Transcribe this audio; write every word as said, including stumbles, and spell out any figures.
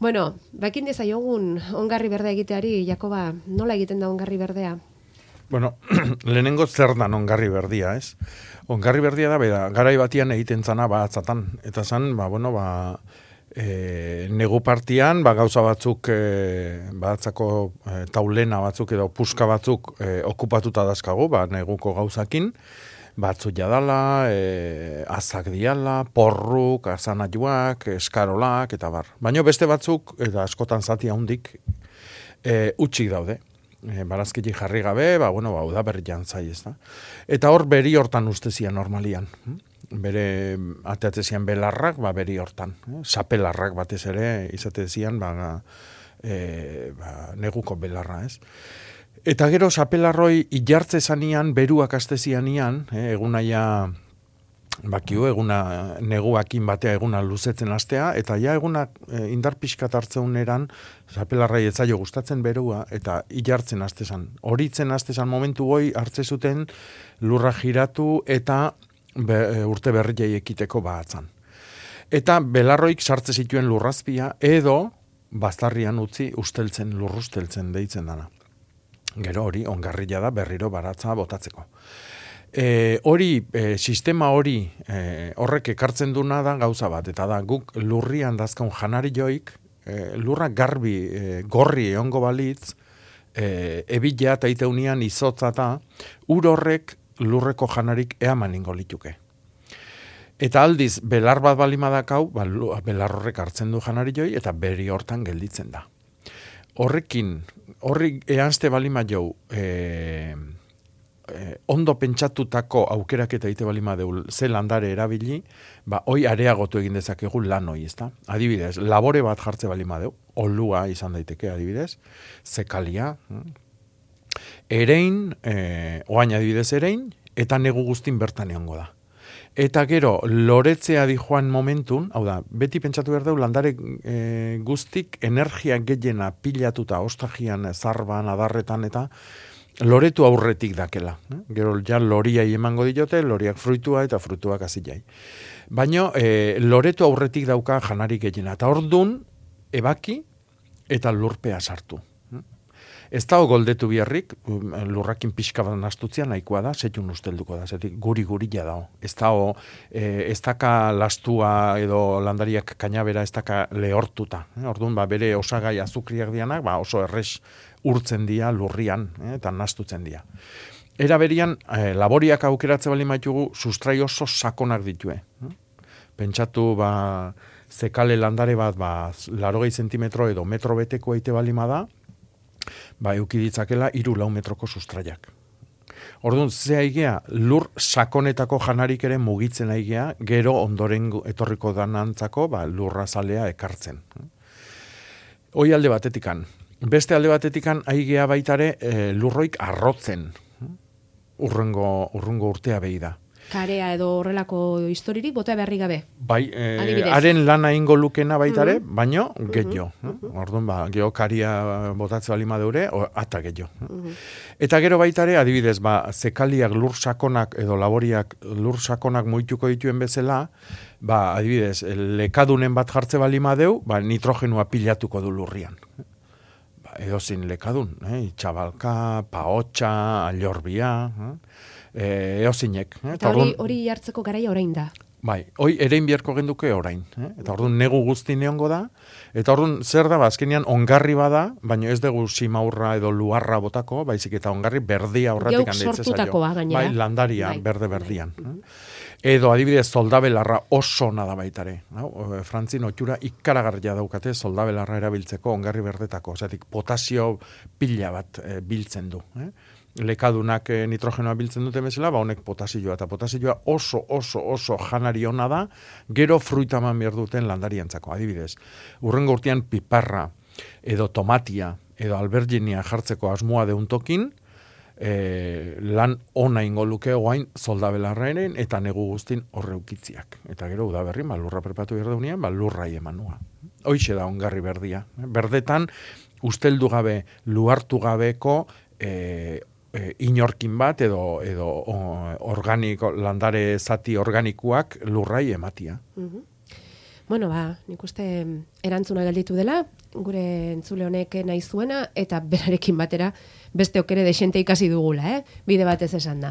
Bueno, bakin dezaiogun ongarri berdea egiteari, Jakoba, nola egiten da ongarri berdea? Bueno, lehenengo zer dan ongarri berdia, ez? Ongarri berdia da, bera, garai batian egiten zana batzatan. Eta zan, ba, bueno, ba, e, negu partian, ba, gauza batzuk, e, batzako e, taulena batzuk edo puska batzuk e, okupatuta dazkagu, ba, neguko gauzakin, batzuk jadala, e, azak diala, porruk, azanatuak, eskarolak, eta bar. Baina beste batzuk, eta askotan zati handik, e, utxik daude. E, barazkiti jarri gabe, ba, bueno, ba, uda berri jantzai, ez da. Eta hor beri hortan ustezian normalian. Bere ateatzezian belarrak, ba, beri hortan. Eh? Sapelarrak batez ere, izatezian, ba, e, ba, neguko belarra, ez. Eta gero sapelarroi ilartze zanian, beruak astezianian, eh, egunaia bakiu, eguna neguakin batea eguna luzetzen astea, eta ja eguna e, indar pixkat hartzeun eran, sapelarrai etzaio gustatzen berua, eta ilartzen astezan. Horitzen astezan momentu goi hartze zuten lurra giratu eta be, urte berriai ekiteko batzan. Eta belarroik sartze zituen lurrazpia, edo baztarrian utzi usteltzen, lurrusteltzen deitzen dana. Gero hori, ongarria da berriro baratza botatzeko. E, hori, e, sistema hori e, horrek ekartzen duna da gauza bat, eta da guk lurrian dazkaun janari joik, e, lurra garbi, e, gorri egongo balitz, e, ebitea eta iteunian izotza eta ur horrek lurreko janarik eaman ingo lituke. Eta aldiz, belar bat balimadakau, ba, belar horrek hartzen du janari joi, eta beri hortan gelditzen da. Horrekin, horri eanzte balima jau, e, Eh, ondo pentsatutako aukerak eta ite balima deul ze landare erabili, ba, hoi areagotu egin dezakegu lan hoi, ezta? Adibidez, labore bat jartze balima deu, olua izan daiteke, adibidez, zekalia, erein, eh, oain adibidez erein, eta negu guztin bertan egongo da. Eta gero, loretzea di joan momentun, hau da, beti pentsatu behar deu, landare e, guztik energia gehiena pilatuta, ostagian, zarban, adarretan, eta loretu aurretik dakela. Eh? Gero ja loriai emango diote, loriak fruitua eta fruituak azilai. Baina e, loretu aurretik dauka janari gehiena. Eta ordun ebaki eta lurpea sartu. Ez da goldetu biharrik, lurrakin pixka bat nastutzean nahikoa da, setxun ustelduko da, zetik guri-gurila da. Ez da, e, ez daka lastua edo landariak kainabera ez daka lehortuta. Eh? Orduan, ba, bere osagai azukriak dianak, ba, oso errez urtzen dia lurrian, eh? Eta nastutzen dia. Era berian, eh, laboriak aukeratze bali maitugu, sustrai oso sakonak ditue. Eh? Pentsatu, ba, zekale landare bat, ba, larogei zentimetro edo metro beteko eite balima da, ba, eukiditzakela iru lau metroko sustraiak. Orduan, ze aigea, lur sakonetako janarik ere mugitzen aigea, gero ondoren etorriko danantzako, ba, lurra zalea ekartzen. Hoi alde batetikan. Beste alde batetikan aigea baitare e, lurroik arrotzen. Urrungo, urrungo urtea behi da. Karea edo horrelako historirik bota beharri gabe. Bai, e, haren lana ingo lukena baitare, mm-hmm. baino gehiago. Mm-hmm. Orduan, ba, geho karia botatze balima deure, ata gehiago. Mm-hmm. Eta gero baitare, adibidez, ba, zekaliak lur sakonak edo laboriak lur sakonak moituko dituen bezala, ba, adibidez, lekadunen bat jartze balima deu, ba, nitrogenua pilatuko du lurrian. Ba, edo zin lekadun, eh? Itxabalka, paotxa, allorbia, eh? E, eozinek. Eh? Eta hori, hori jartzeko garaia orain da. Bai, hoi erein biharko genduke orain. Eh? Eta orduan negu guzti neongo da. Eta orduan zer da, azkenean ongarri bada, baina ez dugu simaurra edo luarra botako, baizik eta ongarri berdia horretik handeitzea zaio. Geuk sortutakoa gainera. Bai, landaria, bai, berde-berdian. Bai. Edo adibidez soldabelarra oso nada baitare. No? Frantzin otxura ikaragarria daukate soldabelarra erabiltzeko ongarri berdetako. Osatik potasio pila bat e, biltzen du. Eh? Lekadunak e, nitrogenoa biltzen dute bezala, ba honek potasioa. Eta potasioa oso, oso, oso janari ona da, gero fruitaman behar duten landariantzako. Adibidez, urrengo urtean piparra, edo tomatia, edo alberginia jartzeko asmoa deuntokin, E, lan ona ingo luke oain soldabelarraen eta negu guztin horreukitziak. Eta gero udaberri, ba, lurra prepatu behar daunean, ba, lurrai emanua. Hoixe da ongarri berdia. Berdetan, usteldu gabe, luartu gabeko e, e, inorkin bat edo, edo o, organiko, landare zati organikuak lurrai ematia. Mm-hmm. Bueno, ba, nik uste erantzuna gelditu dela, gure entzule honek nahi zuena, eta berarekin batera beste okere desente ikasi dugula, eh? Bide batez esan da.